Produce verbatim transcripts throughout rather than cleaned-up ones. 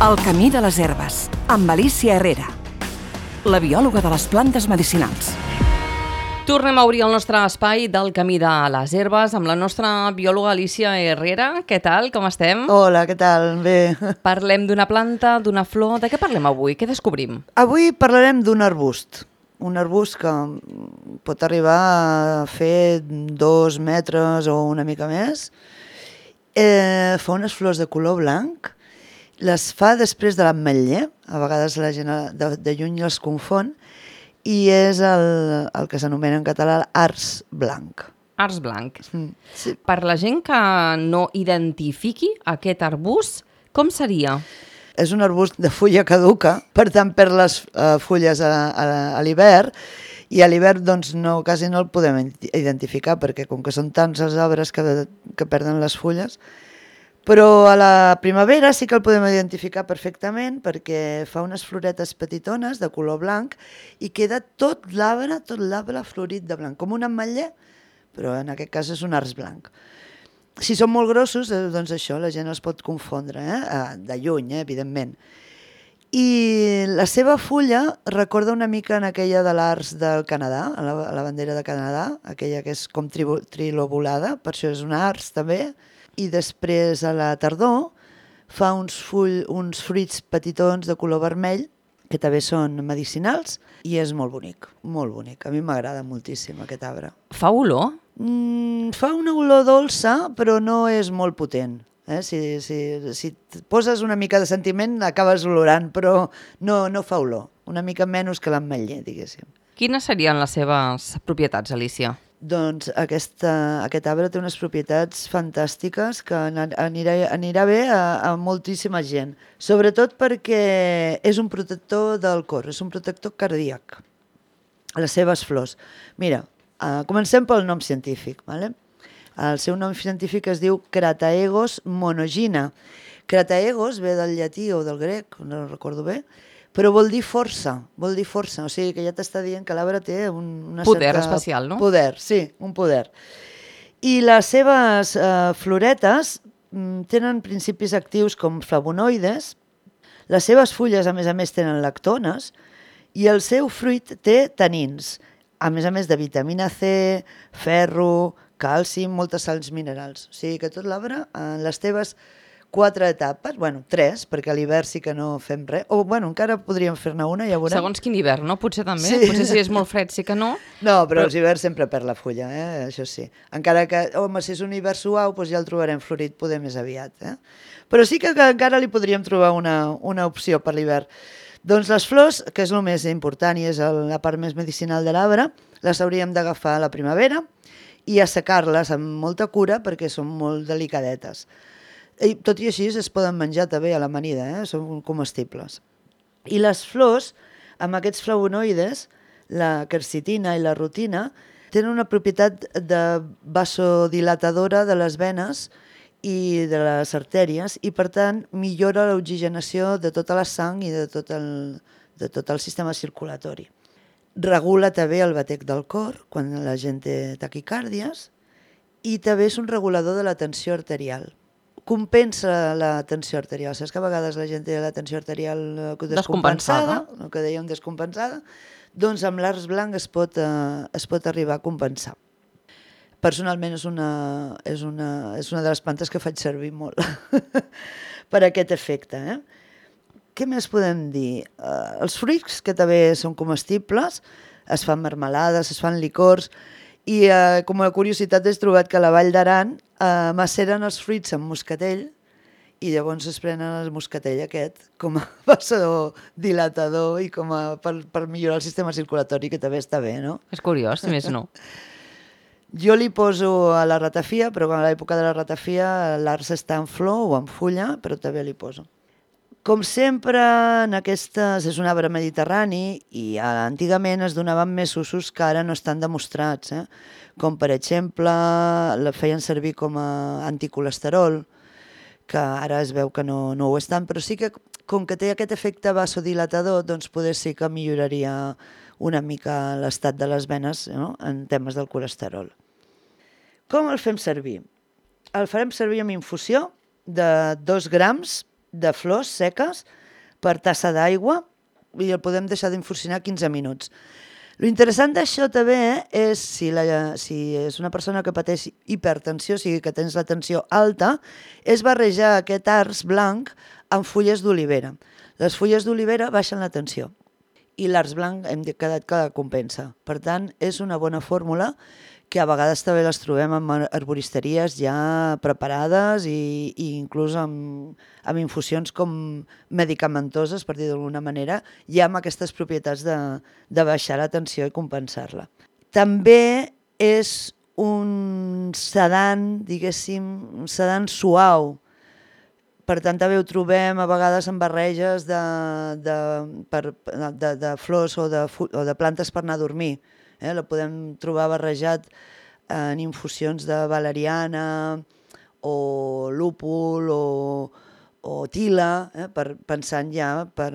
El camí de les herbes, amb Alicia Herrera, la biòloga de les plantes medicinals. Tornem a obrir el nostre espai del camí de les herbes amb la nostra biòloga Alicia Herrera. Què tal? Com estem? Hola, què tal? Bé. Parlem d'una planta, d'una flor. De què parlem avui? Què descobrim? Avui parlarem d'un arbust. Un arbust que pot arribar a fer dos metres o una mica més. Eh, fa unes flors de color blanc. Les fa després de l'ametller. A vegades la gent de, de lluny els confon. I és el, el que s'anomena en català ars blanc. Ars blanc. Mm, sí. Per la gent que no identifiqui aquest arbust, com seria? És un arbust de fulla caduca, per tant perd les uh, fulles a, a, a l'hivern, i a l'hivern doncs, no, quasi no el podem identificar, perquè com que són tants els arbres que, que perden les fulles, però a la primavera sí que el podem identificar perfectament perquè fa unes floretes petitones de color blanc i queda tot l'arbre, tot l'arbre florit de blanc, com un ametller, però en aquest cas és un ars blanc. Si són molt grossos, doncs això, la gent els pot confondre, eh? De lluny, eh? Evidentment. I la seva fulla recorda una mica en aquella de l'ars del Canadà, a la, a la bandera de Canadà, aquella que és com tri, trilobulada, per això és un ars també, i després a la tardor fa uns, full, uns fruits petitons de color vermell que també són medicinals i és molt bonic, molt bonic. A mi m'agrada moltíssim aquest arbre. Fa olor? Mm, fa una olor dolça, però no és molt potent. Eh? Si, si, si et poses una mica de sentiment acabes olorant, però no, no fa olor. Una mica menys que l'ametller, diguéssim. Quines serien les seves propietats, Alicia? Doncs aquesta, aquest arbre té unes propietats fantàstiques que anirà, anirà bé a, a moltíssima gent, sobretot perquè és un protector del cor, és un protector cardíac, les seves flors. Mira, uh, comencem pel nom científic. Vale? El seu nom científic es diu Crataegus monogyna. Crataegus ve del llatí o del grec, no recordo bé, però vol dir força, vol dir força, o sigui que ja t'està dient que l'arbre té un, una poder certa... especial, no? Poder, sí, un poder. I les seves eh, floretes mm, tenen principis actius com flavonoides, les seves fulles a més a més tenen lactones i el seu fruit té tanins, a més a més de vitamina C, ferro, calci, moltes sals minerals. O sigui que tot l'arbre en les teves quatre etapes, bueno, tres, perquè a l'hivern sí que no fem res, o bueno, encara podríem fer-ne una, ja veurem. Segons quin hivern, no? Potser també, sí. Potser si és molt fred sí que no. No, però, però... els hiverns sempre perd la fulla, eh? Això sí. Encara que, home, si és un hivern suau, doncs ja el trobarem florit poder més aviat, eh? Però sí que, que encara li podríem trobar una, una opció per l'hivern. Doncs les flors, que és el més important i és el, la part més medicinal de l'arbre, les hauríem d'agafar a la primavera i assecar-les amb molta cura perquè són molt delicadetes. I tot i així es poden menjar també a l'amanida, eh? Són comestibles. I les flors, amb aquests flavonoides, la quercitina i la rutina, tenen una propietat de vasodilatadora de les venes i de les artèries i, per tant, millora l'oxigenació de tota la sang i de tot el, de tot el sistema circulatori. Regula també el batec del cor quan la gent té taquicàrdies i també és un regulador de la tensió arterial. Compensa la tensió arterial. Saps que a vegades la gent té la tensió arterial descompensada, el que dèiem descompensada? Doncs amb l'ars blanc es pot, eh, es pot arribar a compensar. Personalment és una, és una, és una de les plantes que faig servir molt per a aquest efecte. Eh? Què més podem dir? Eh, els fruits, que també són comestibles, es fan marmelades, es fan licors, i eh, com a curiositat he trobat que a la Vall d'Aran eh, maceren els fruits amb moscatell i llavors es prenen el moscatell aquest com a vasodilatador i com a, per, per millorar el sistema circulatori, que també està bé, no? És curiós, si més no. Jo li poso a la ratafia, però a l'època de la ratafia l'ars està en flor o en fulla, però també li poso. Com sempre, en aquestes és un arbre mediterrani i antigament es donaven més usos que ara no estan demostrats, eh? Com per exemple la feien servir com a anticolesterol, que ara es veu que no, no ho estan, però sí que com que té aquest efecte vasodilatador, doncs poder sí que milloraria una mica l'estat de les venes, no? En temes del colesterol. Com el fem servir? El farem servir amb infusió de dos grams de flors seques per tassa d'aigua i el podem deixar d'infusionar quinze minuts. Lo interessant d'això també és si, la, si és una persona que pateix hipertensió, o sigui que tens la tensió alta, és barrejar aquest arç blanc amb fulles d'olivera. Les fulles d'olivera baixen la tensió i l'arç blanc hem quedat que compensa. Per tant, és una bona fórmula que a vegades també les trobem en herboristeries ja preparades i, i inclús amb, amb infusions com medicamentoses, per dir d'alguna manera, ja amb aquestes propietats de, de baixar la tensió i compensar-la. També és un sedant, diguéssim, un sedant suau. Per tant, també ho trobem a vegades en barreges de, de, per, de, de flors o de, o de plantes per anar a dormir. Eh? La podem trobar barrejat en infusions de valeriana o lúpul o, o tila, eh? per, pensant ja per,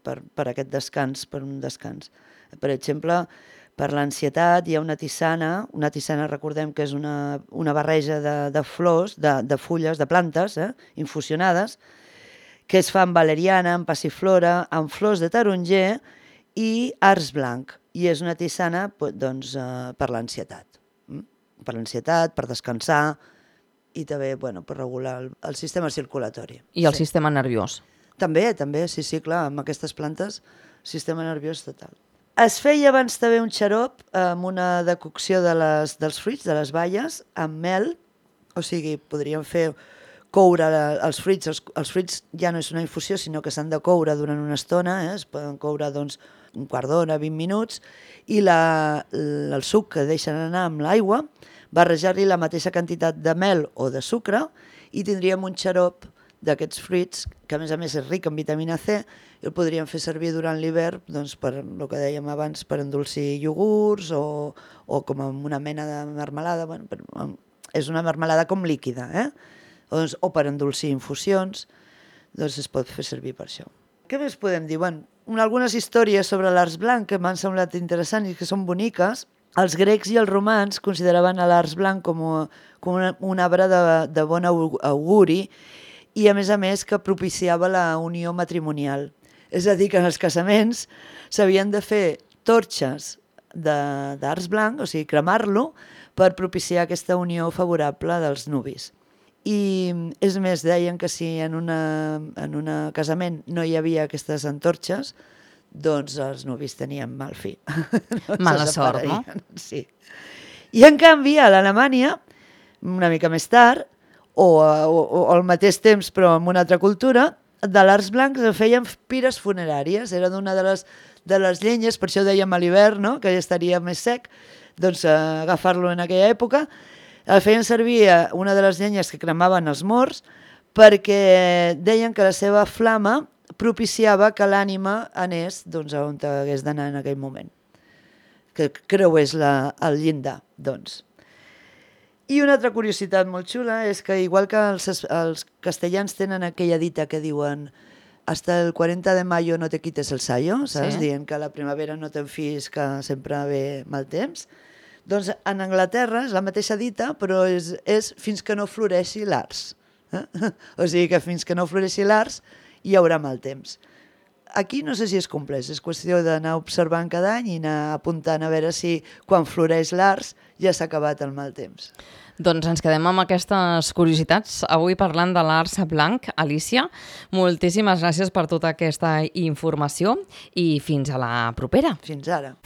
per, per aquest descans, per un descans. Per exemple, per l'ansietat hi ha una tisana, una tisana recordem que és una, una barreja de, de flors, de, de fulles, de plantes eh? infusionades, que es fa amb valeriana, amb passiflora, amb flors de taronger i arç blanc. I és una tisana doncs, uh, per l'ansietat. Mm? Per l'ansietat, per descansar i també bueno, per regular el, el sistema circulatori. I el sí. sistema nerviós. També, també, sí, sí, clar, amb aquestes plantes, sistema nerviós total. Es feia abans també un xarop amb una decocció de les, dels fruits, de les baies, amb mel, o sigui, podríem fer coure els fruits, els, els fruits ja no és una infusió, sinó que s'han de coure durant una estona, eh? Es poden coure doncs, un quart d'hora, vint minuts, i la, el suc que deixen anar amb l'aigua, barrejar-li la mateixa quantitat de mel o de sucre i tindríem un xarop d'aquests fruits, que a més a més és ric en vitamina C, i el podríem fer servir durant l'hivern, doncs, per el que dèiem abans, per endolcir iogurts o, o com una mena de marmelada, bueno, per, és una marmelada com líquida, eh? o, doncs, o per endolcir infusions, doncs es pot fer servir per això. Què més podem dir? Bueno, algunes històries sobre l'arç blanc que m'han semblat interessants i que són boniques. Els grecs i els romans consideraven l'arç blanc com, a, com una, un arbre de, de bon auguri i, a més a més, que propiciava la unió matrimonial. És a dir, que en els casaments s'havien de fer torxes d'arç blanc, o sigui, cremar-lo, per propiciar aquesta unió favorable dels nuvis. I és més, deien que si en un en una casament no hi havia aquestes antorxes, doncs els nuvis tenien mal fi. No Mala sort, no? Sí. I en canvi, a l'Alemanya, una mica més tard, o, o, o al mateix temps però en una altra cultura, de l'arç blanc es feien pires funeràries. Era d'una de les, de les llenyes, per això dèiem a l'hivern, no? Que ja estaria més sec, doncs eh, agafar-lo en aquella època. El feien servir una de les llenyes que cremaven els morts perquè deien que la seva flama propiciava que l'ànima anés doncs, on hagués d'anar en aquell moment, que creués la, el llindar. Doncs. I una altra curiositat molt xula és que, igual que els, els castellans tenen aquella dita que diuen hasta el cuarenta de mayo no te quites el sayo, saps? Sí. Dient que a la primavera no te'n fiïs que sempre ve mal temps. Doncs en Anglaterra és la mateixa dita, però és, és fins que no floreixi l'arç. Eh? O sigui que fins que no floreixi l'arç hi haurà mal temps. Aquí no sé si és compleix, és qüestió d'anar observant cada any i anar apuntant a veure si quan floreix l'arç ja s'ha acabat el mal temps. Doncs ens quedem amb aquestes curiositats. Avui parlant de l'arç blanc. Alicia, moltíssimes gràcies per tota aquesta informació i fins a la propera. Fins ara.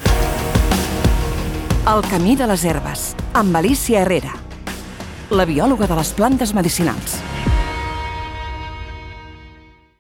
El camí de les herbes, amb Alicia Herrera, la biòloga de les plantes medicinals.